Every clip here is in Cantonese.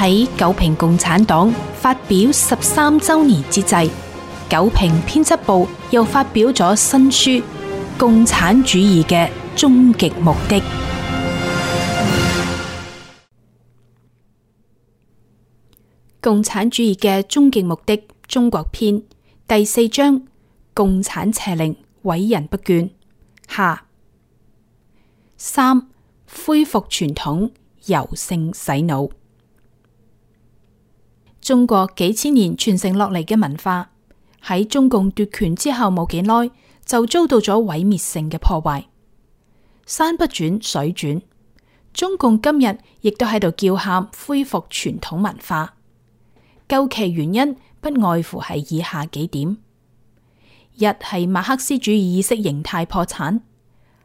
喺九評共產黨發表13週年之際，九評編輯部又發表咗新書《共產主義嘅終極目的》。共產主義嘅終極目的中國篇第4章：共產邪靈，毀人不倦。下。3. 恢復傳統，柔性洗腦。中國幾千年傳承落嚟嘅文化，喺中共奪權之後冇幾耐，就遭到咗毀滅性嘅破壞。山不轉水轉，中共今日亦都喺度叫喊恢復傳統文化。究其原因，不外乎係以下幾點：一係馬克思主義意識形態破產，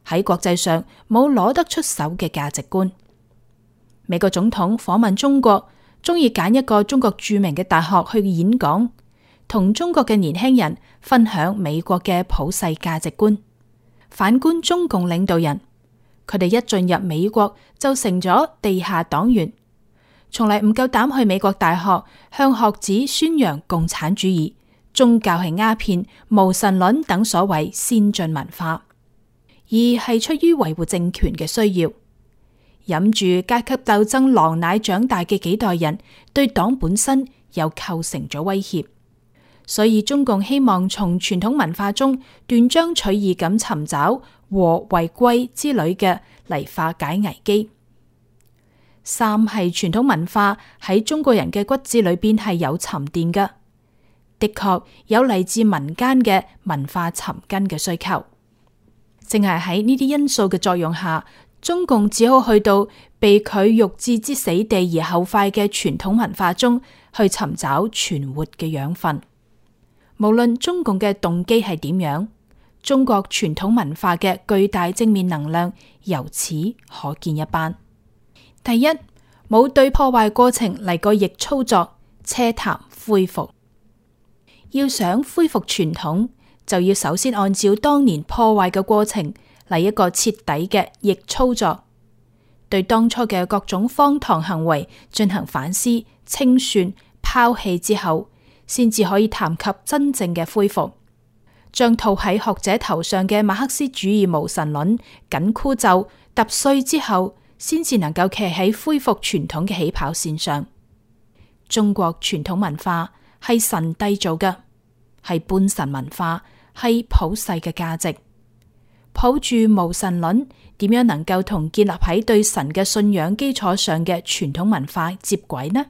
喺國際上冇攞得出手嘅價值觀。美國總統訪問中國，中意揀一個中國著名嘅大學去演講，同中國嘅年輕人分享美國嘅普世價值觀。反觀中共領導人，佢哋一進入美國就成咗地下黨員，從嚟唔夠膽去美國大學向學子宣揚共產主義、宗教係鴉片、無神論等所謂先進文化，而係出於維護政權嘅需要。飲住階級鬥爭狼奶長大嘅幾代人，對黨本身又構成咗威脅，所以中共希望從傳統文化中斷章取義咁尋找和為貴之類嘅嚟化解危機。三係傳統文化喺中國人嘅骨子裏邊係有沉澱嘅，的確有嚟自民間嘅文化尋根嘅需求。正係喺呢啲因素嘅作用下，中共只好去到被佢欲置之死地而後快嘅傳統文化中去尋找存活嘅養分。無論中共嘅動機係點樣，中國傳統文化嘅巨大正面能量由此可見一斑。第一，冇對破壞過程嚟個逆操作，奢談恢復。要想恢復傳統，就要首先按照當年破壞嘅過程嚟一個徹底嘅逆操作，對當初嘅各種荒唐行為進行反思、清算、拋棄之後，先至可以談及真正嘅恢復。將套喺學者頭上嘅馬克思主義無神論緊箍咒揼碎之後，先至能夠企喺恢復傳統嘅起跑線上。中國傳統文化係神締造嘅，係半神文化，係普世嘅價值。抱住無神論，點樣能夠同建立喺對神嘅信仰基礎上嘅傳統文化接軌呢？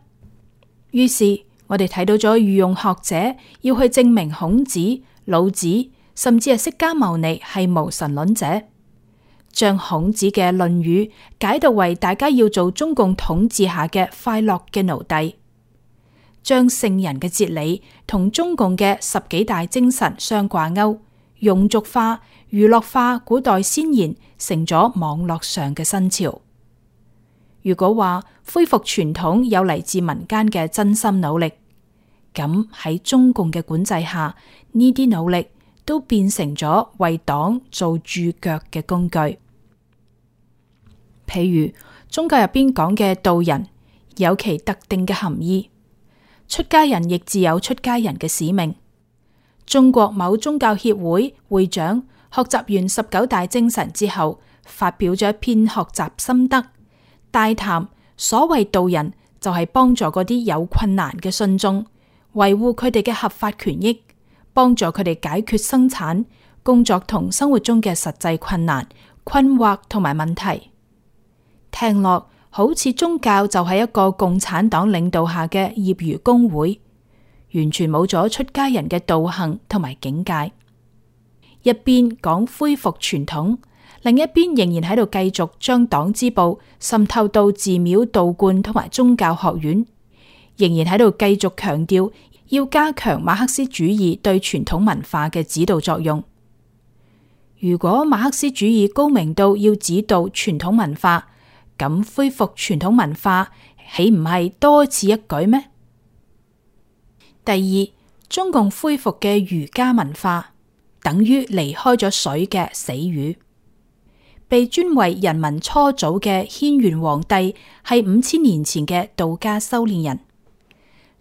於是我哋睇到咗御用學者要去證明孔子、老子，甚至係釋迦牟尼係無神論者，將孔子嘅《論語》解讀為大家要做中共統治下嘅快樂嘅奴隸，將聖人嘅哲理同中共嘅10幾大精神相掛鈎，庸俗化、娛樂化古代先賢，成咗網絡上嘅新潮。如果話恢復傳統有嚟自民間嘅真心努力，咁喺中共嘅管制下，呢啲努力都變成咗為黨做駐腳嘅工具。譬如宗教入邊講嘅道人，有其特定嘅含義；出家人亦自有出家人嘅使命。中國某宗教協會會長學習完19大精神之後，發表咗一篇學習心得，大談所謂道人就係幫助嗰啲有困難嘅信眾，維護佢哋嘅合法權益，幫助佢哋解決生產、工作同生活中嘅實際困難、困惑同埋問題。聽落好似宗教就係一個共產黨領導下嘅業餘工會，完全冇咗出家人嘅道行同埋境界。一邊講恢復傳統，另一邊仍然喺度繼續將黨支部滲透到寺廟、道觀同埋宗教學院，仍然喺度繼續強調要加強馬克思主義對傳統文化嘅指導作用。如果馬克思主義高明到要指導傳統文化，咁恢復傳統文化豈唔係多此一舉咩？第二，中共恢復嘅儒家文化等於離開咗水嘅死魚。被尊為人民初祖嘅軒轅皇帝係5000年前嘅道家修煉人。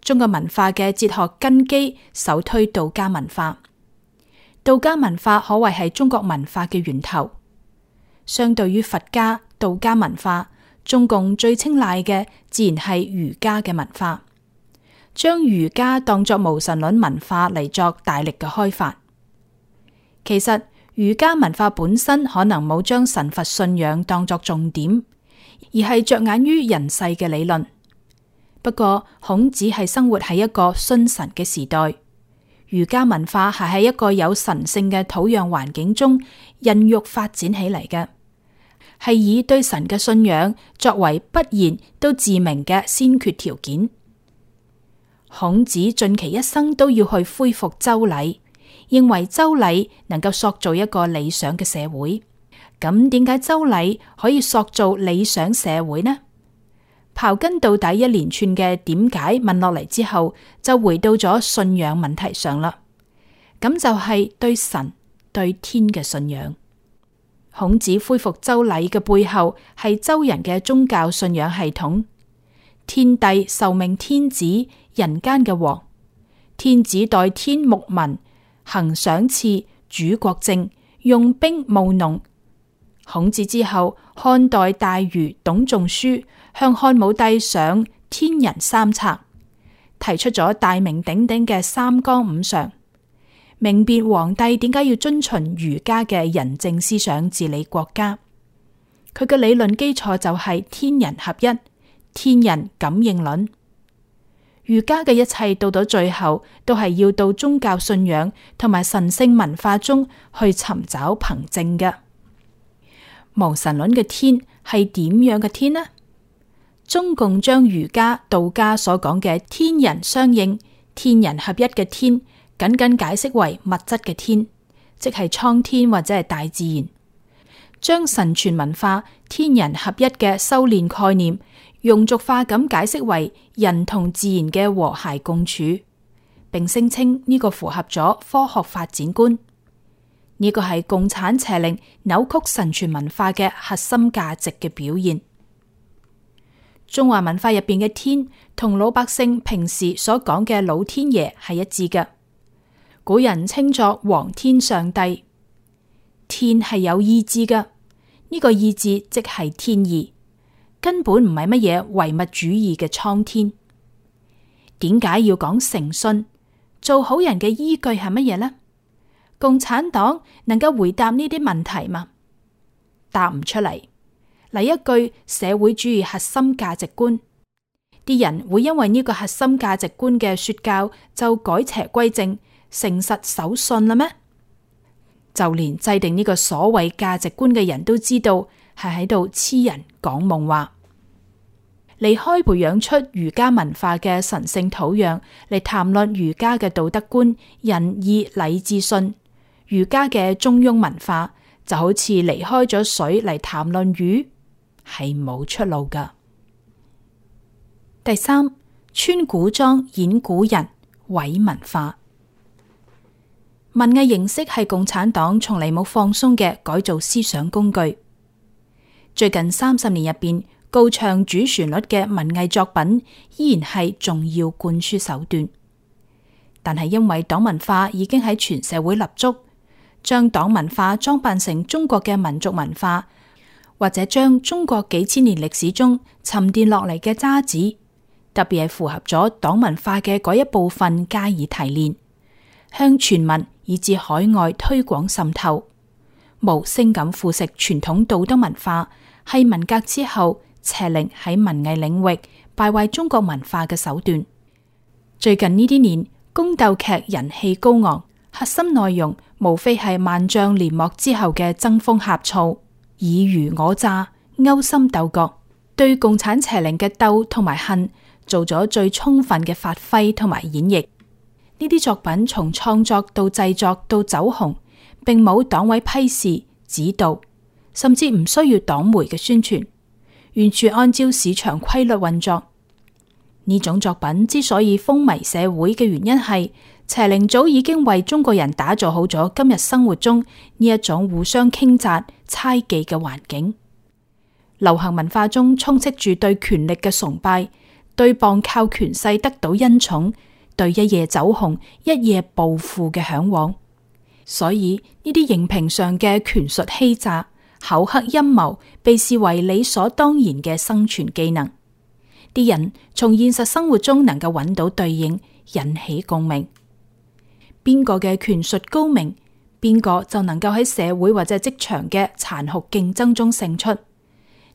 中國文化嘅哲學根基首推道家文化，道家文化可謂係中國文化嘅源頭。相對於佛家、道家文化，中共最青睞嘅自然係儒家嘅文化，將儒家當作無神論文化嚟作大力嘅開發。其實儒家文化本身可能冇將神佛信仰當作重點，而係着眼於人世嘅理論。不過孔子係生活喺一個信神嘅時代，儒家文化係喺一個有神聖嘅土壤環境中孕育發展起嚟嘅，係以對神嘅信仰作為不言都自明嘅先決條件。孔子盡其一生都要去恢復周禮，認為周禮能夠塑造一個理想嘅社會。咁點解周禮可以塑造理想社會呢？刨根到底一連串嘅點解問落嚟之後，就回到咗信仰問題上啦。咁就係對神、對天嘅信仰。孔子恢復周禮嘅背後係周人嘅宗教信仰系統。天帝受命天子，人間嘅王。天子代天牧民，行賞賜，主國政，用兵務農。孔子之後，漢代大儒董仲舒向漢武帝上天人三策，提出咗大名鼎鼎嘅三綱五常，明辨皇帝點解要遵循儒家嘅仁政思想治理國家。佢嘅理論基礎就係天人合一、天人感應論。儒家嘅一切到咗最後，都係要到宗教信仰同埋神聖文化中去尋找憑證嘅。無神論嘅天係點樣嘅天呢？中共將儒家、道家所講嘅天人相應、天人合一嘅天，僅僅解釋為物質嘅天，即係蒼天或者係大自然。將神傳文化、天人合一嘅修煉概念，庸俗化咁解釋為人同自然嘅和諧共處，並聲稱呢個符合咗科學發展觀。呢個係共產邪靈扭曲神傳文化嘅核心價值嘅表現。中華文化入邊嘅天同老百姓平時所講嘅老天爺係一致嘅。古人稱作皇天上帝。天係有意志嘅，呢個意志即係天意，根本唔係乜嘢唯物主義嘅蒼天。點解要講誠信？做好人嘅依據係乜嘢呢？共產黨能夠回答呢啲問題嗎？答唔出嚟。嚟一句社會主義核心價值觀，啲人會因為呢個核心價值觀嘅說教就改邪歸正、誠實守信啦咩？就連制定呢個所謂價值觀嘅人都知道係喺度痴人講夢話。離開培養出儒家文化嘅神聖土壤嚟談論儒家嘅道德觀、仁義禮智信，儒家嘅中庸文化就好似離開咗水嚟談論魚，係冇出路噶。第三，穿古裝演古人，毀文化。文藝形式係共產黨從嚟冇放鬆嘅改造思想工具。最近30年入邊，高唱主旋律嘅文藝作品依然係重要灌輸手段，但係因為黨文化已經喺全社會立足，將黨文化裝扮成中國嘅民族文化，或者將中國幾千年歷史中沉澱落嚟嘅渣子，特別係符合咗黨文化嘅嗰一部分加以提煉，向全民以至海外推廣滲透，無聲咁腐蝕傳統道德文化，係文革之後邪靈喺文藝領域敗壞中國文化嘅手段。最近呢啲年，宮鬥劇人氣高昂，核心內容無非係萬將連幕之後嘅爭風呷醋、爾虞我詐、勾心鬥角，對共產邪靈嘅鬥同埋恨做咗最充分嘅發揮同埋演繹。呢啲作品從創作到製作到走紅，並冇黨委批示指導，甚至唔需要黨媒嘅宣傳，完全按照市場規律運作。呢種作品之所以風靡社會嘅原因係邪靈早已經為中國人打造好咗今日生活中呢一種互相傾軋、猜忌嘅環境。流行文化中充斥住對權力嘅崇拜，對傍靠權勢得到恩寵，對一夜走紅、一夜暴富嘅向往。所以呢啲熒屏上嘅權術欺詐、口黑陰謀，被視為理所當然嘅生存技能。啲人從現實生活中能夠揾到對應，引起共鳴。邊個嘅權術高明，邊個就能夠喺社會或者職場嘅殘酷競爭中勝出。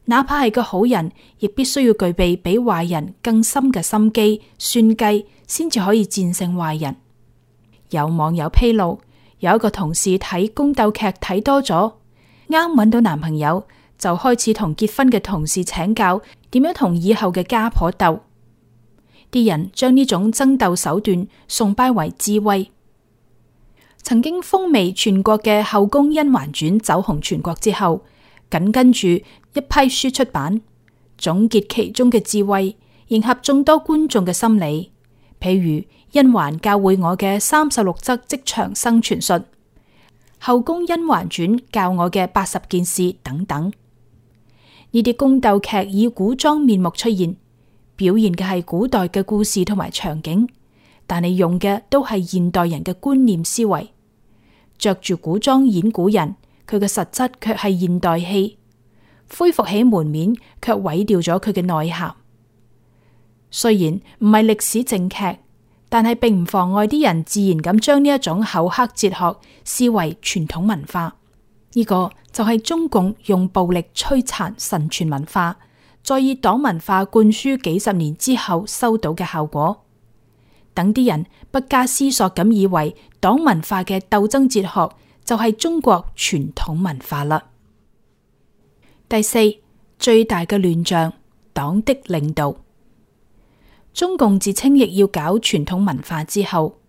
哪怕係個好人，亦必須要具備比壞人更深嘅心機、算計，先至可以戰勝壞人。有網友披露，有一個同事睇宮鬥劇睇多咗，啱揾到男朋友，就開始同結婚嘅同事請教點樣同以後嘅家婆鬥。啲人將呢種爭鬥手段崇拜為智慧。曾經風靡全國嘅《後宮甄嬛傳》走紅全國之後，緊跟住一批書出版，總結其中嘅智慧，迎合眾多觀眾嘅心理。譬如甄嬛教會我嘅36則職場生存術，《後宮甄嬛傳》教我嘅80件事等等。呢啲宮鬥劇以古裝面目出現，表現嘅係古代嘅故事同埋場景，但係用嘅都係現代人嘅觀念思維。着住古裝演古人，佢嘅實質卻係現代戲，恢復起門面，卻毀掉咗佢嘅內涵。雖然唔係歷史正劇，但係並唔妨礙啲人自然咁將呢一種厚黑哲學視為傳統文化。呢個就係中共用暴力摧殘神傳文化，再以黨文化灌輸幾十年之後收到嘅效果。等啲人不加思索咁以為黨文化嘅鬥爭哲學就係中國傳統文化啦。第四，最大嘅亂象，黨的領導。中共自稱亦要搞傳統文化之後，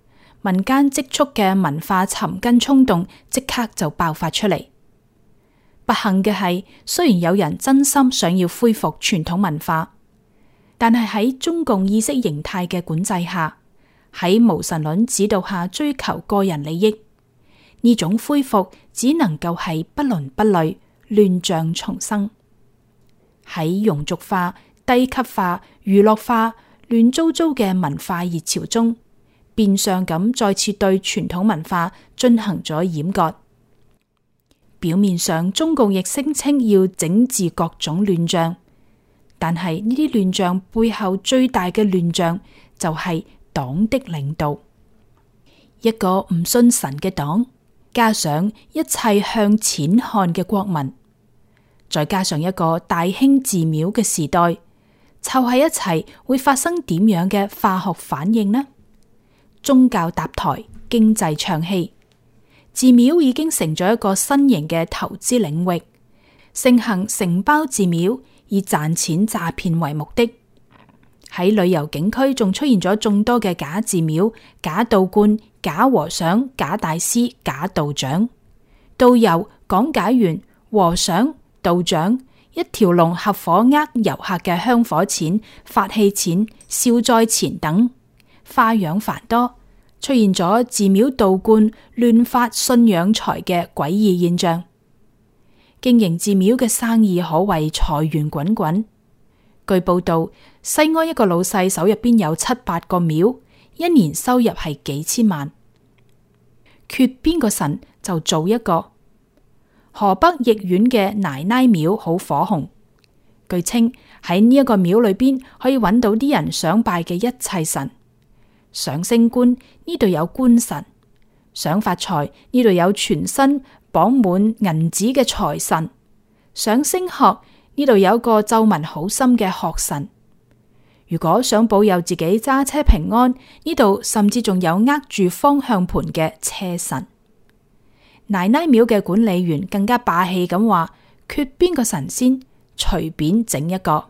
民間積蓄嘅文化尋根衝動即刻就爆發出嚟。不幸嘅係，雖然有人真心想要恢復傳統文化，但係喺中共意識形態嘅管制下，喺無神論指導下追求個人利益，呢種恢復只能夠係不倫不類，亂象叢生。喺庸俗化、低級化、娛樂化、亂糟糟嘅文化熱潮中，變相咁再次對傳統文化進行咗掩割。表面上中共亦聲稱要整治各種亂象，但係呢啲亂象背後最大嘅亂象就係黨的領導。一個唔信神嘅黨，加上一切向錢看嘅國民，再加上一個大興寺廟嘅時代，湊喺一齊會發生點樣嘅化學反應呢？宗教搭台，經濟唱戲，寺廟已經成咗一個新型嘅投資領域，盛行承包寺廟，以賺錢詐騙為目的。喺旅遊景區仲出現咗眾多嘅假寺廟、假道觀、假和尚、假大師、假道長、導遊、講解員、和尚、道長，一條龍合夥遊客嘅香火錢、法器錢、消災錢等，花樣繁多，出現咗寺廟道觀亂發信仰財嘅詭異現象。經營寺廟嘅生意可謂財源滾滾。據報道，西安一個老細手入邊有7-8個廟，一年收入係幾千萬。缺邊個神就做一個。河北易縣嘅奶奶廟好火紅，據稱喺呢一個廟裏邊可以揾到啲人想拜嘅一切神。想升官，呢度有官神；想發財，呢度有全身綁滿銀紙嘅財神；想升學，呢度有個皺紋好深嘅學神。如果想保佑自己揸車平安，呢度甚至仲有握住方向盤嘅車神。奶奶廟嘅管理員更加霸氣咁話：缺邊個神仙，隨便整一個。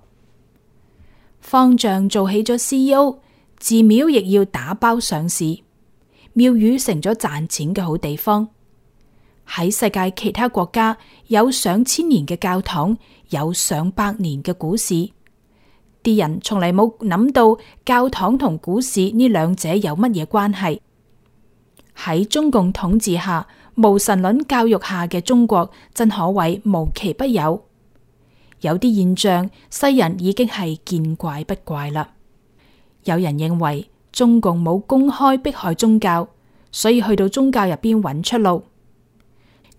方丈做起咗 CEO， 寺廟亦要打包上市，廟宇成咗賺錢嘅好地方。喺世界其他國家有上千年嘅教堂，有上百年嘅股市，啲人從嚟冇諗到教堂同股市呢兩者有乜嘢關係。喺中共統治下，無神論教育下嘅中國真可謂無奇不有。有啲現象，世人已經係見怪不怪啦。有人認為中共冇公開迫害宗教，所以去到宗教入邊揾出路。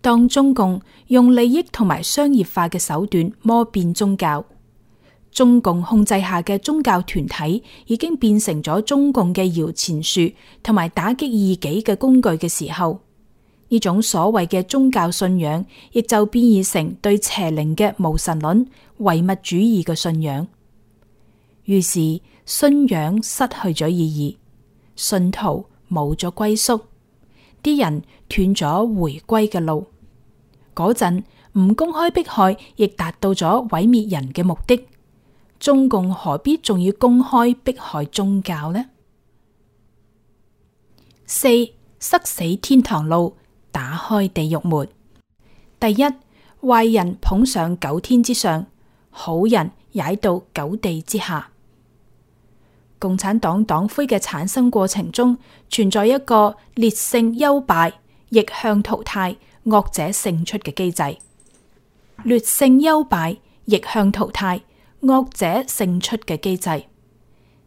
當中共用利益同埋商業化嘅手段摸變宗教，中共控制下嘅宗教團體已經變成咗中共嘅搖錢樹同埋打擊異己嘅工具嘅時候，呢種所謂嘅宗教信仰亦就變異成對邪靈嘅無神論唯物主義嘅信仰。於是信仰失去咗意義，信徒冇咗歸宿，啲人斷咗回歸嘅路。嗰陣唔公開迫害，亦達到咗毀滅人嘅目的。中共何必仲要公開迫害宗教呢？4. 塞死天堂路，打開地獄門。第一，壞人捧上9天之上，好人踩到9地之下。共產黨黨魁嘅產生過程中，存在一個劣性優敗、逆向淘汰、惡者勝出嘅機制。劣性優敗、逆向淘汰、惡者勝出嘅機制，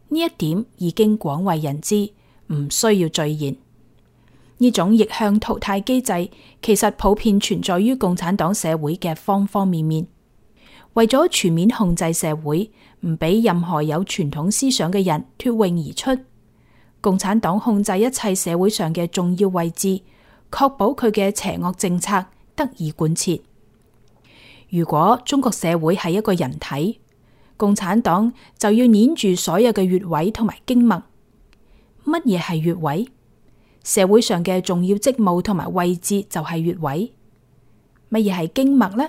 呢一點已經廣為人知，唔需要贅言。呢種逆向淘汰機制其實普遍存在於共產黨社會嘅方方面面。為咗全面控制社會，唔俾任何有傳統思想嘅人脫穎而出，共產黨控制一切社會上嘅重要位置，確保佢嘅邪惡政策得以貫徹。如果中國社會係一個人體，共產黨就要捏住所有嘅穴位同埋經脈。乜嘢係穴位？社會上嘅重要職務同埋位置就係穴位。乜嘢係經脈呢？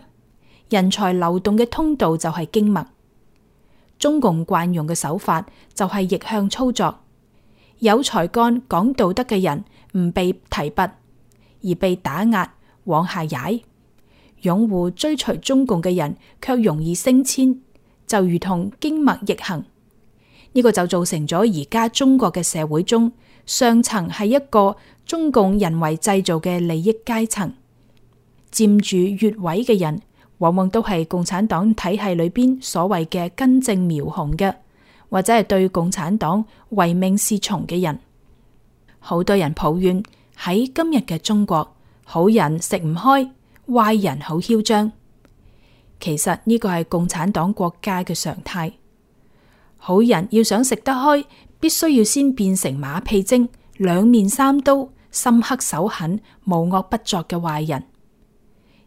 人才流動嘅通道就係經脈。中共慣用嘅手法就係逆向操作，有才幹講道德嘅人唔被提拔，而被打壓往下踩；擁護追隨中共嘅人卻容易升遷，就如同經脈逆行。呢個就造成咗而家中國嘅社會中，上層係一個中共人為製造嘅利益階層，佔住穴位嘅人往往都係共產黨體系裏邊所謂嘅根正苗紅嘅，或者係對共產黨唯命是從嘅人。好多人抱怨喺今日嘅中國，好人食唔開，壞人好囂張。其實呢個係共產黨國家嘅常態。好人要想食得開，必須要先變成馬屁精、兩面三刀、心黑手狠、無惡不作嘅壞人。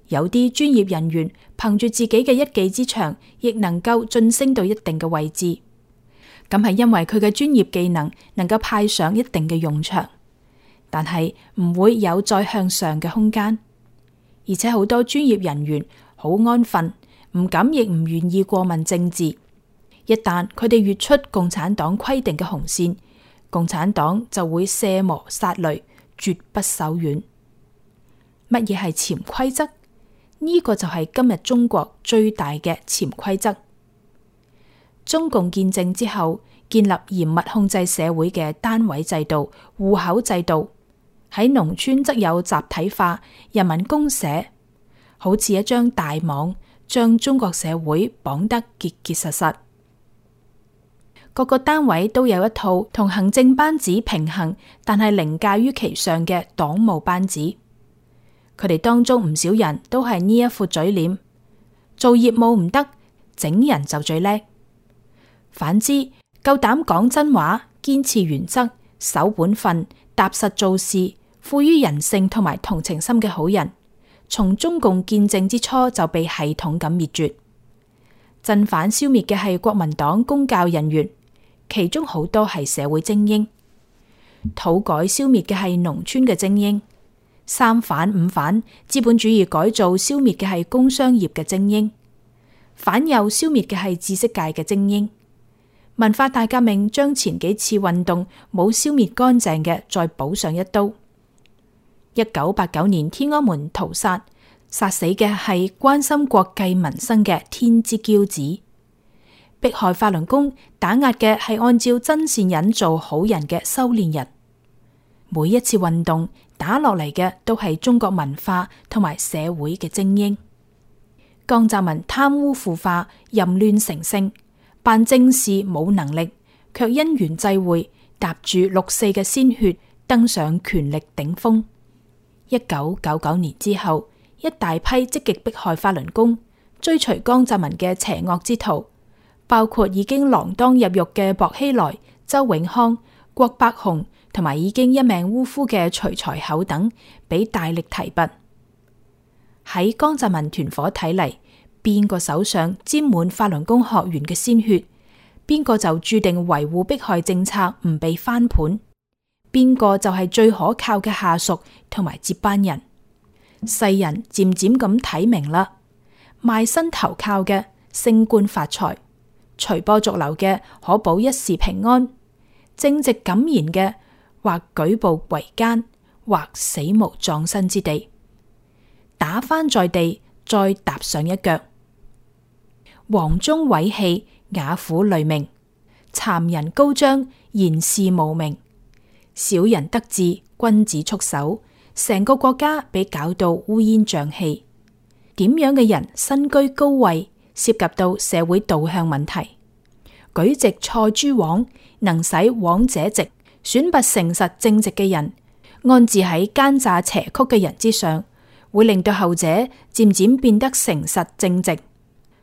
有啲專業人員憑住自己嘅一技之長，亦能夠晉升到一定嘅位置。咁係因為佢嘅專業技能能夠派上一定嘅用場，但係唔會有再向上嘅空間。而且好多專業人員好安分，唔敢亦唔願意過問政治。一旦佢哋越出共產黨規定嘅紅線，共產黨就會卸磨殺驢，絕不手軟。乜嘢係潛規則？呢個就係今日中國最大嘅潛規則。中共建政之後，建立嚴密控制社會嘅單位制度、戶口制度。喺農村則有集體化、人民公社，好似一張大網，將中國社會綁得結結實實。各個單位都有一套同行政班子平衡，但係凌駕於其上嘅黨務班子。佢哋當中唔少人都係呢一副嘴臉，做業務唔得，整人就最叻。反之，夠膽講真話、堅持原則、守本分、踏實做事、富於人性同埋同情心嘅好人，從中共建政之初就被系統咁滅絕。鎮反消滅嘅係國民黨公教人員，其中好多係社會精英；土改消滅嘅係農村嘅精英；三反五反資本主義改造消滅嘅係工商業嘅精英；反右消滅嘅係知識界嘅精英；文化大革命將前幾次運動冇消滅乾淨嘅再補上一刀。1989年天安門屠殺，殺死嘅係關心國計民生嘅天之驕子。迫害法輪功打壓嘅係按照真善忍做好人嘅修煉人。每一次運動打落嚟嘅都係中國文化同埋社會嘅精英。江澤民貪污腐化、淫亂成性，辦正事冇能力，卻因緣際會踏住6·4嘅鮮血登上權力頂峰。1999年之後，一大批積極迫害法輪功、追隨江澤民嘅邪惡之徒，包括已經鋃鐺入獄嘅薄熙來、周永康、郭伯雄同埋已經一命嗚呼嘅徐才厚等，俾大力提拔。喺江澤民團伙睇嚟，邊個手上沾滿法輪功學員嘅鮮血，邊個就注定維護迫害政策唔被翻盤，邊個就係最可靠嘅下屬同埋接班人。世人漸漸咁睇明啦，賣身投靠嘅升官發財，隨波逐流嘅可保一時平安，正直敢言嘅或舉步維艱，或死無葬身之地。打翻在地，再踏上一腳。黃忠偉氣，瓦虎雷鳴，讒人高張，言事無名。小人得志，君子束手，成個國家被搞到烏煙瘴氣。點樣嘅人身居高位，涉及到社會導向問題，舉直錯諸枉，能使枉者直，選拔誠實正直嘅人，安置喺奸詐邪曲嘅人之上，會令到後者漸漸變得誠實正直。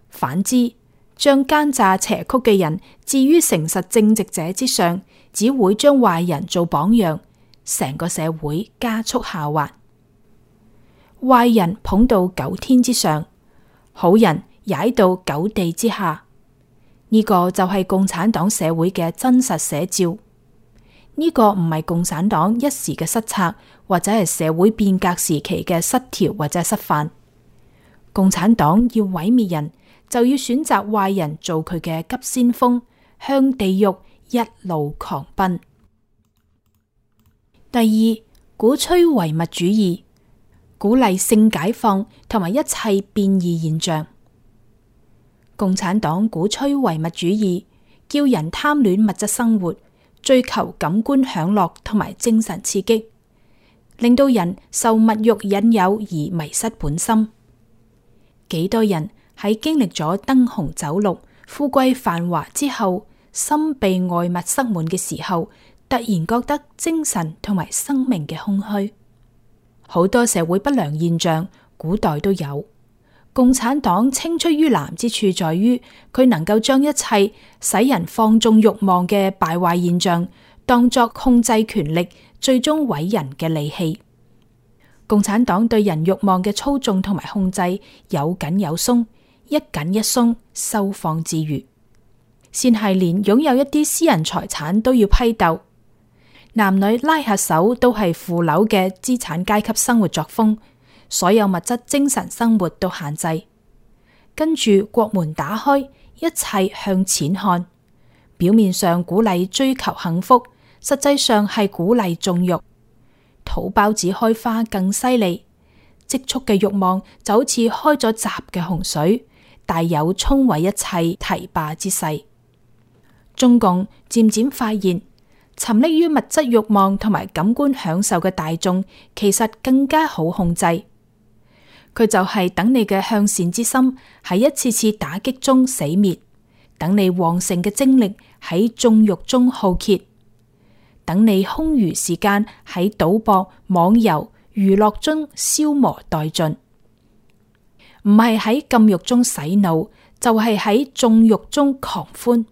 反之，將奸詐邪曲嘅人置於誠實正直者之上，只會將壞人做榜樣，成個社會加速下滑。壞人捧到9天之上，好人踩到9地之下，呢個就係共產黨社會嘅真實寫照。呢個唔係共產黨一時嘅失策，或者係社會變革時期嘅失調或者失範。共產黨要毀滅人，就要選擇壞人做佢嘅急先鋒，向地獄一路狂奔。第二，鼓吹唯物主義，鼓勵性解放同埋一切變異現象。共產黨鼓吹唯物主義，叫人貪戀物質生活，追求感官享樂同埋精神刺激，令到人受物欲引誘而迷失本心。幾多人喺經歷咗燈紅酒綠、富貴繁華之後，心被外物塞滿嘅時候，突然覺得精神同埋生命嘅空虛。好多社會不良現象，古代都有。共產黨青出於藍之處在於，佢能夠將一切使人放縱慾望嘅敗壞現象，當作控制權力、最終毀人嘅利器。共產黨對人慾望嘅操縱同埋控制，有緊有鬆，一緊一鬆，收放自如。先係連擁有一啲私人財產都要批鬥，男女拉下手都係腐朽嘅資產階級生活作風。所有物質精神生活都限制，跟住國門打開，一切向錢看。表面上鼓勵追求幸福，實際上係鼓勵縱慾。土包子開花更犀利，積蓄嘅慾望就好似開咗閘嘅洪水，大有沖毀一切堤壩之勢。中共漸漸發現，沉溺於物質慾望同埋感官享受嘅大眾，其實更加好控制。佢就係等你嘅向善之心喺一次次打擊中死滅，等你旺盛嘅精力喺縱慾中耗竭，等你空餘時間喺賭博、網遊、娛樂中消磨殆盡。唔係喺禁慾中洗腦，就係喺縱慾中狂歡；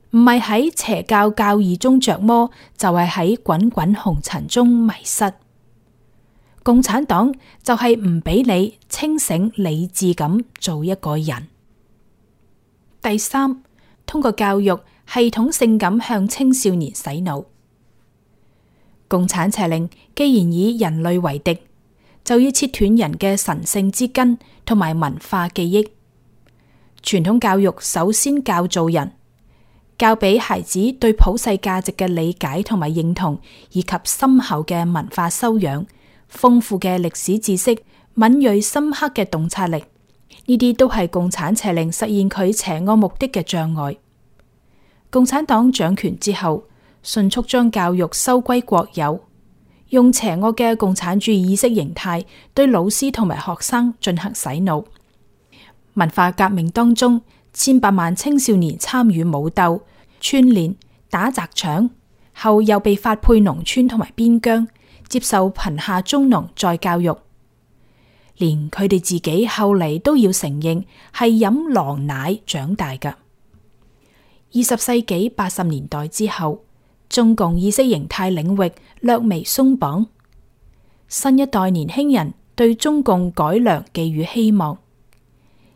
唔係喺邪教教義中着魔，就係喺滾滾紅塵中迷失。共產黨就係唔俾你清醒理智咁做一個人。第三，通過教育系統性咁向青少年洗腦。共產邪令既然以人類為敵，就要切斷人嘅神聖之根同埋文化記憶。傳統教育首先教做人，教俾孩子對普世價值嘅理解同埋認同，以及深厚嘅文化修養、豐富嘅歷史知識、敏銳深刻嘅洞察力，呢啲都係共產邪令實現佢邪惡目的嘅障礙。共產黨掌權之後，迅速將教育收歸國有，用邪惡嘅共產主義意識形態對老師同埋學生進行洗腦。文化革命當中，千百萬青少年參與武鬥、串聯、打砸搶，後又被發配農村同埋邊疆，接受貧下中農再教育。連佢哋自己後嚟都要承認係飲狼奶長大㗎。20世紀80年代之後，中共意識形態領域略微鬆綁，新一代年輕人對中共改良寄予希望，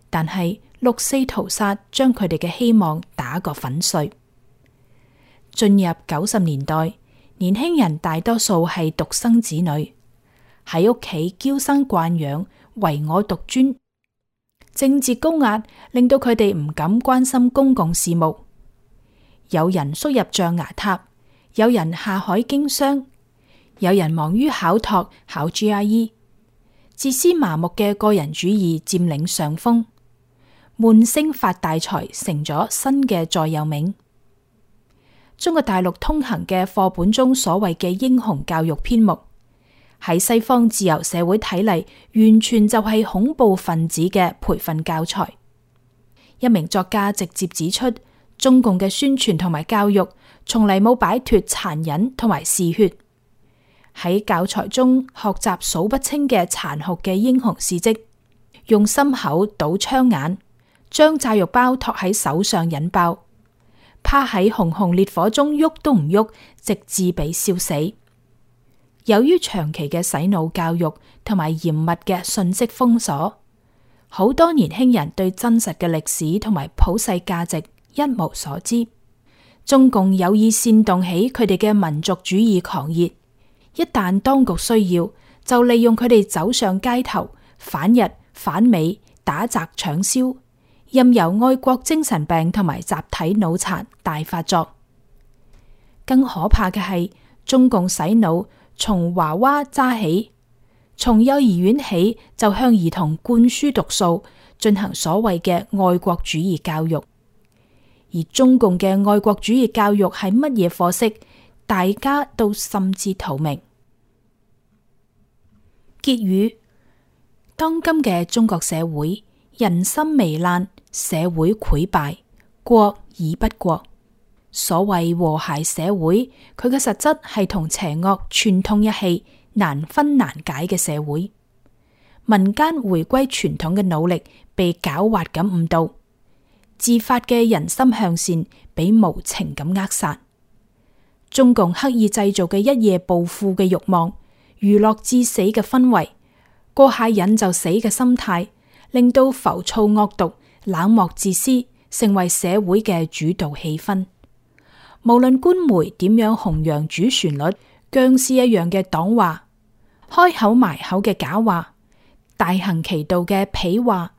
但係六四屠殺將佢哋嘅希望打個粉碎。進入90年代，年輕人大多數係獨生子女，喺屋企嬌生慣養，唯我獨尊。政治高壓令到佢哋唔敢關心公共事務，有人縮入象牙塔，有人下海經商，有人忙於考托、考 GRE， 自私麻木嘅個人主義佔領上風，悶聲發大財成咗新嘅座右銘。中國大陸通行嘅課本中所謂嘅英雄教育篇目，喺西方自由社會睇嚟，完全就係恐怖分子嘅培訓教材。一名作家直接指出，中共嘅宣傳同埋教育從嚟冇擺脫殘忍同埋嗜血，喺教材中學習數不清嘅殘酷嘅英雄事跡，用心口堵槍眼，將炸藥包托喺手上引爆，趴喺熊熊烈火中喐都唔喐，直至被燒死。由於長期嘅洗腦教育同埋嚴密嘅信息封鎖，好多年輕人對真實嘅歷史同埋普世價值一無所知。中共有意煽動起佢哋嘅民族主義狂熱，一旦當局需要，就利用佢哋走上街頭，反日反美，打砸搶燒，任由愛國精神病同埋集體腦殘大發作。更可怕嘅係，中共洗腦從娃娃揸起，從幼兒園起就向兒童灌輸毒素，進行所謂嘅愛國主義教育。而中共嘅愛國主義教育係乜嘢貨色，大家都心知肚明。結語：當今嘅中國社會，人心糜爛，社會潰敗，國已不國。所謂和諧社會，佢嘅實質係同邪惡串通一氣，難分難解嘅社會。民間回歸傳統嘅努力被狡猾咁誤導，自發嘅人心向善被無情咁扼殺。中共刻意製造嘅一夜暴富嘅慾望、娛樂至死嘅氛圍、過下癮就死嘅心態，令到浮躁惡毒、冷漠自私成為社會嘅主導氣氛。無論官媒點樣弘揚主旋律，僵屍一樣嘅黨話，開口埋口嘅假話，大行其道嘅痞話，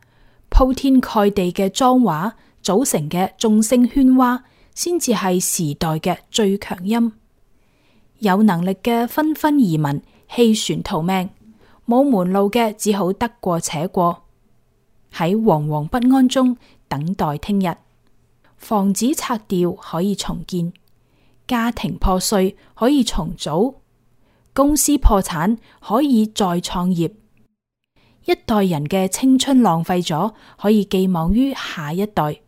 鋪天蓋地嘅髒話組成嘅眾聲喧嘩，先至係時代嘅最強音。有能力嘅紛紛移民棄船逃命，冇門路嘅只好得過且過，喺惶惶不安中等待聽日。房子拆掉可以重建，家庭破碎可以重組，公司破產可以再創業。一代人嘅青春浪費咗，可以寄望於下一代。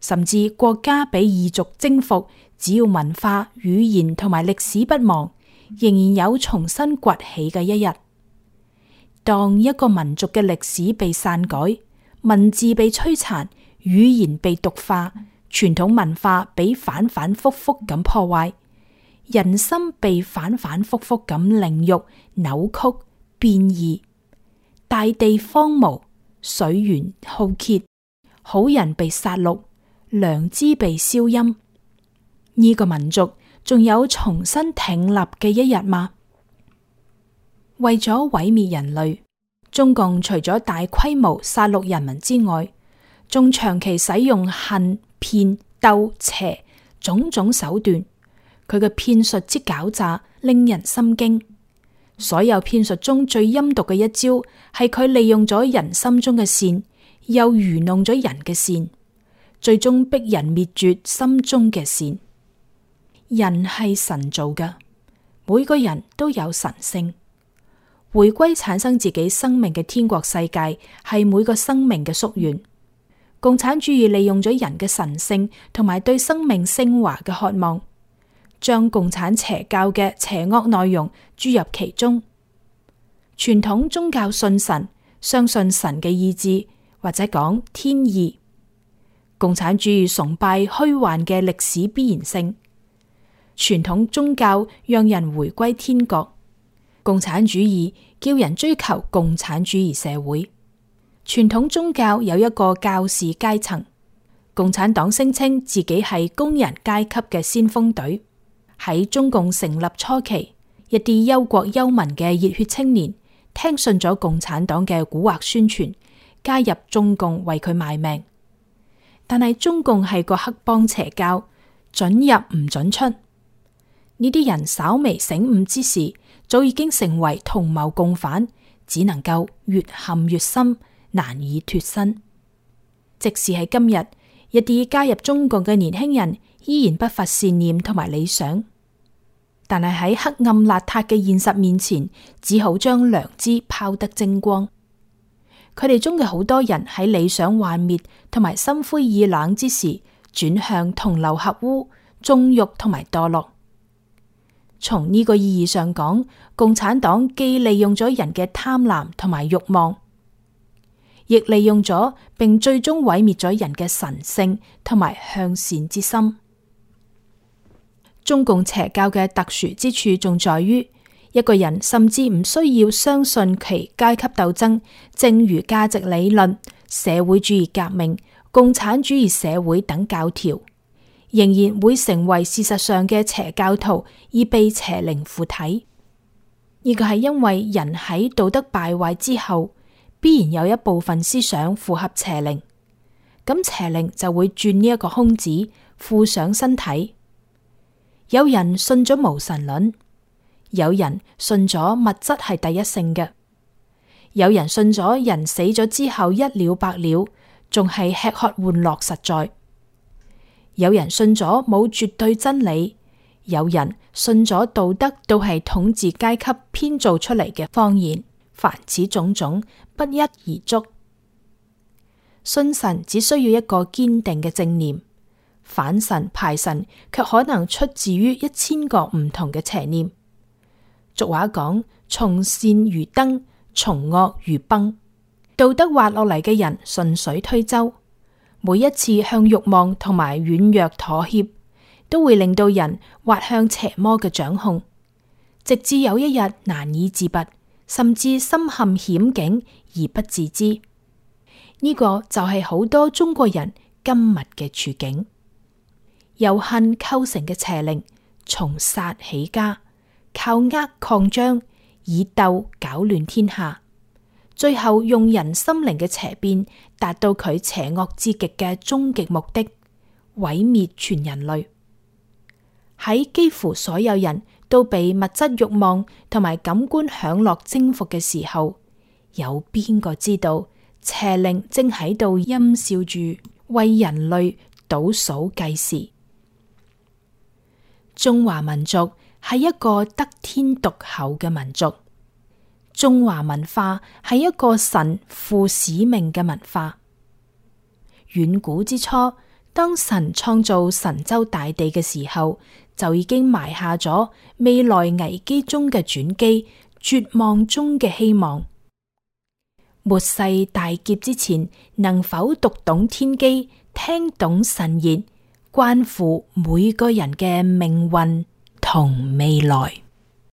甚至國家被異族征服，只要文化、語言同埋歷史不忘，仍然有重新崛起嘅一日。當一個民族嘅歷史被篡改，文字被摧殘，語言被毒化，傳統文化被反反复复咁破壞，人心被反反复复咁凌辱、扭曲、變異，大地荒蕪，水源浩竭，好人被殺戮，良知被消音。呢個民族仲有重新挺立嘅一日嗎？為咗毀滅人類，中共除咗大規模殺戮人民之外，仲長期使用恨、騙、鬥、邪種種手段。佢嘅騙術之狡詐，令人心驚。所有騙術中最陰毒嘅一招，係佢利用咗人心中嘅善，又愚弄咗人嘅善，最終逼人滅絕心中嘅善。人係神造嘅，每個人都有神性。回歸產生自己生命嘅天國世界，係每個生命嘅夙願。共產主義利用咗人嘅神性同埋對生命升華嘅渴望，將共產邪教嘅邪惡內容注入其中。傳統宗教信神，相信神嘅意志，或者講天意。共產主義崇拜虛幻嘅歷史必然性。傳統宗教讓人回歸天國，共產主義叫人追求共產主義社會。傳統宗教有一個教士階層，共產黨聲稱自己係工人階級嘅先鋒隊。喺中共成立初期，一啲憂國憂民嘅熱血青年聽信咗共產黨嘅蠱惑宣傳，加入中共為佢賣命。但係中共係個黑幫邪教，准入唔准出。呢啲人稍微醒悟之時，早已經成為同謀共犯，只能夠越陷越深，難以脫身。即使係今日，一啲加入中共嘅年輕人依然不乏善念同埋理想，但係喺黑暗邋遢嘅現實面前，只好將良知拋得精光。佢哋中嘅好多人喺理想幻滅同埋心灰意冷之時，轉向同流合污、縱慾同埋墮落。從呢個意義上講，共產黨既利用咗人嘅貪婪同埋慾望，亦利用咗並最終毀滅咗人嘅神性同埋向善之心。中共邪教嘅特殊之處仲在於，一個人甚至唔需要相信其階級鬥爭、正如價值理論、社會主義革命、共產主義社會等教條，仍然會成為事實上嘅邪教徒，而被邪靈附體。呢個係因為人喺道德敗壞之後，必然有一部分思想符合邪靈，咁邪靈就會轉呢一個空子，附上身體。有人信咗無神論，有人信咗物質係第一性嘅，有人信咗人死咗之後一了百了，仲係吃喝玩樂實在。有人信咗冇絕對真理，有人信咗道德都係統治階級編造出嚟嘅謊言。凡此種種，不一而足。信神只需要一個堅定嘅正念，反神排神卻可能出自於1000個唔同嘅邪念。俗話講，從善如登，從惡如崩。道德滑落嚟嘅人順水推舟，每一次向慾望同埋軟弱妥協，都會令到人滑向邪魔嘅掌控，直至有一日難以自拔，甚至深陷險境而不自知。呢個就係好多中國人今日嘅處境。由恨構成嘅邪靈，從殺起家，靠呃擴張，以鬥攪亂天下，最後用人心靈嘅邪變，達到佢邪惡至極嘅終極目的，毀滅全人類。喺幾乎所有人都被物質慾望同埋感官享樂征服嘅時候，有邊個知道邪靈正喺度陰笑住為人類倒數計時？中華民族係一個得天獨厚嘅民族，中華文化係一個神負使命嘅文化。遠古之初，當神創造神州大地嘅時候，就已經埋下咗未來危機中嘅轉機，絕望中嘅希望。末世大劫之前，能否讀懂天機，聽懂神言，關乎每個人嘅命運同未來。